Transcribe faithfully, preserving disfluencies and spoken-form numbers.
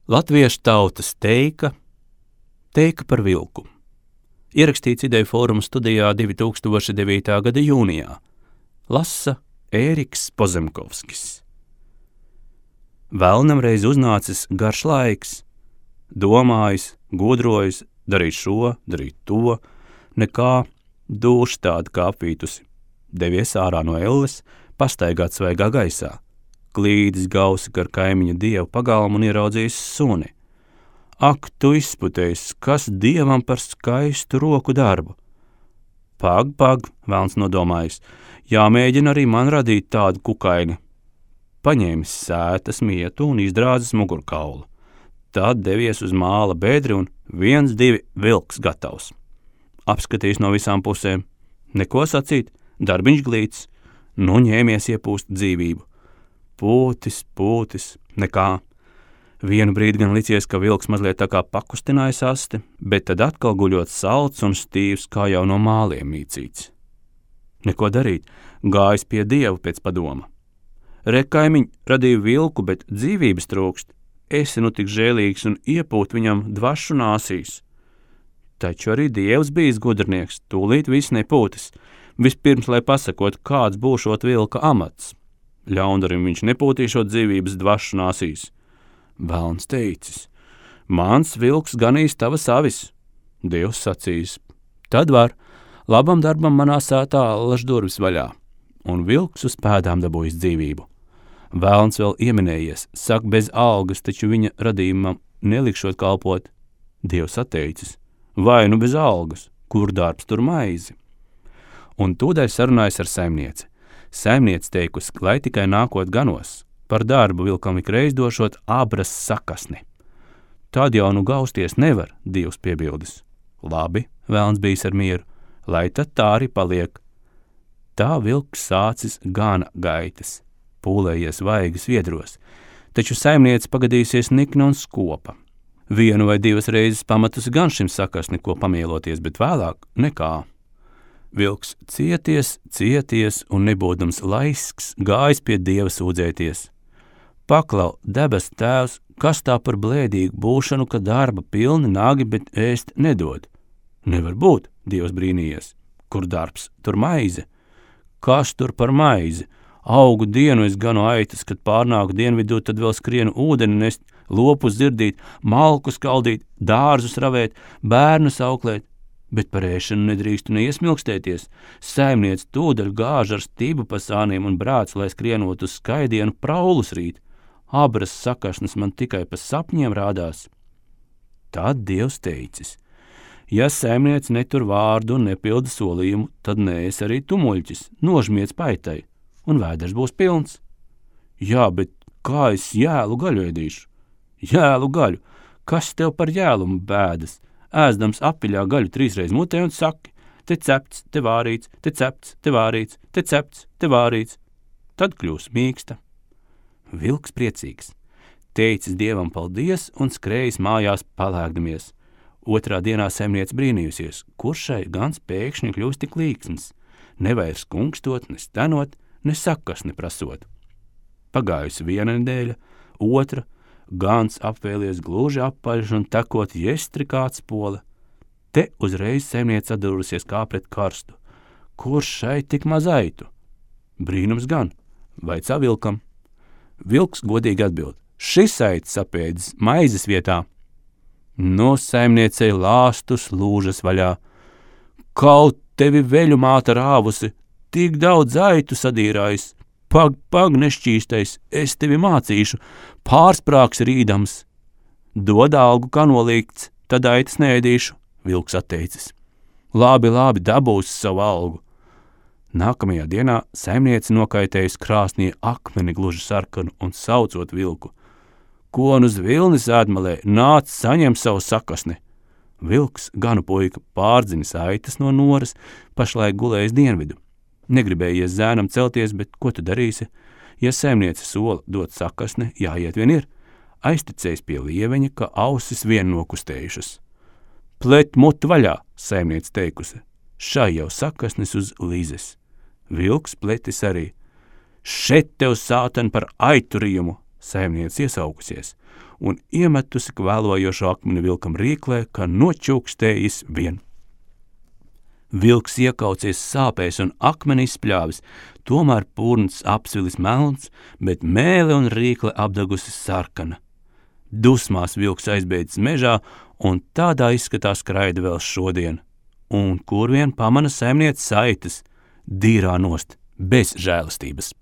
Latviešu tautas teika, teika par vilku. Ierakstīts Ideju fóruma studijā divi tūkstoši devītā gada jūnijā. Lasa Ēriks Pozemkovskis. Velnam reiz uznācis garš laiks, domājis, gudrojis, darīt šo, darīt to, nekā, dūši tāda kā apvītusi. Devies ārā no elles, pastaigāt svaigā gaisā, klīdis gausi gar kaimiņa dievu pagalmu un ieraudzījis suni. Ak, tu izputējis, kas dievam par skaistu roku darbu! Pag, pag, velns nodomājis, jāmēģina arī man radīt tādu kukaini. Paņēmis sētas mietu un izdrāzis mugurkaulu. Tad devies uz māla bedri un viens, divi vilks gatavs. Apskatījis no visām pusēm. Neko sacīt, darbiņš glīts, nu ņēmies iepūst dzīvību. Pūtis, pūtis, nekā. Vienu brīdi gan licies, ka vilks mazliet tā kā pakustinājis asti, bet tad atkal guļot salds un stīvs, kā jau no māliem mīcīts. Neko darīt, gājis pie dievu pēc padoma. Re, kaimiņ, radīju vilku, bet dzīvības trūkst. Esi nu tik žēlīgs un iepūt viņam dvašu nāsīs. Taču arī dievs bijis gudrnieks, tūlīt viss nepūtis. Vispirms, lai pasakot, kāds būšot vilka amats. Ļaundarim viņš nepūtīšot dzīvības dvašu nāsīs. Velns teicis, mans vilks ganīs tavas avis. Dievs sacīs, tad var, labam darbam manā sētā laž durvis vaļā. Un vilks uz pēdām dabūjis dzīvību. Velns vēl ieminējies, saka bez algas, taču viņa radījumam nelikšot kalpot. Dievs atteicis, vai nu bez algas, kur darbs tur maizi. Un tūdaļ sarunājas ar saimnieci. Saimniec teikusi, lai tikai nākot ganos, par darbu vilkam ikreiz došot abras sakasni. Tad jau nu gausties nevar, Dievs piebildis. Labi, velns bijis ar mieru, lai tad tā arī paliek. Tā vilks sācis gana gaitas, pūlējies vaigas viedros, taču saimniece pagadījusies nikna un skopa. Vienu vai divas reizes pamatus gan šim sakasni, ko pamieloties, bet vēlāk nekā. Vilks cieties, cieties un nebūdams laisks, gājis pie dieva sūdzēties. Paklau, debes tēvs, kas tā par blēdīgu būšanu, ka darba pilni nagi, bet ēst nedod? Nevar būt, dievs brīnījies. Kur darbs, tur maize. Kas tur par maizi? Augu dienu es ganu aitas, kad pārnāku dienvidū, tad vēl skrienu ūdeni nest, lopus dzirdīt, malku skaldīt, dārzus ravēt, bērnus auklēt. Bet par ēšanu nedrīkstu neiesmilkstēties. Saimniec tūdaļ gāž ar stību pa sāniem un brāc, lai skrienot uz skaidienu praulus rīt. Abras sakašnas man tikai pa sapņiem rādās. Tad Dievs teicis, ja saimniec netur vārdu un nepilda solījumu, tad nees arī tu muļķis, nožmiec paitai, un vēders būs pilns. Jā, bet kā es jēlu gaļu ēdīšu? Jēlu gaļu, kas tev par jēlumu bēdas? Ēzdams apiļā gaļu trīsreiz mutē un saki, te cepts, te vārīts, te cepts, te vārīts, te cepts, te vārīts. Tad kļūs mīksta. Vilks priecīgs, teicis dievam paldies un skrējis mājās palēkdamies. Otrā dienā saimniece brīnījusies, kurš šai gans pēkšņi kļūst tik līksms, nevairs kunkstot, ne stenot, ne sakas neprasot. Pagājusi viena nedēļa, otra, gans apvēlies gluži apaļš un tekot jestri kāds pola. Te uzreiz saimniece atdurusies kā pret karstu. Kurš šai tik maz aitu? Brīnums gan, vaicā vilkam. Vilks godīgi atbild, šis aitas apēdis maizes vietā. No saimniecei lāstus lūžas vaļā. Kaut tevi veļu māta rāvusi, tik daudz aitu sadīrājis. Pag, pag, nešķīstais, es tevi mācīšu, pārsprāks rīdams. Dod algu, kā nolīgts, tad aitas neēdīšu, vilks atteicis. Labi, labi, dabūs savu algu. Nākamajā dienā saimniece nokaitējusi krāsnī akmeni gluži sarkanu un saucot vilku. Ko un uz vilnis ēdmalē, nāc saņem savu sakasni. Vilks, ganu puika, pārdzinis aitas no noras, pašlaik gulējis dienvidu. Negribējies zēnam celties, bet ko tu darīsi? Ja saimniece sola dot sakasni, jāiet vien ir. Aizticējis pie lieveņa, ka ausis vien nokustējušas. Plet mutu vaļā, saimniece teikusi. Šai jau sakasnis uz līzes. Vilks pletis arī. Šet tev sāten par aiturījumu, saimniece iesaukusies. un iemetusi kvēlojošo akmeni vilkam rīklē, ka nočūkstējis vien. Vilks iekaucies sāpēs un akmeni izspļāvis, tomēr purns apsvilis melns, bet mēle un rīkle apdagusi sarkana. Dusmās vilks aizbēdzis mežā, un tādā izskatā skraida vēl šodien. Un kur vien pamana saimniece saitas, dīrā nost, bez žēlastības.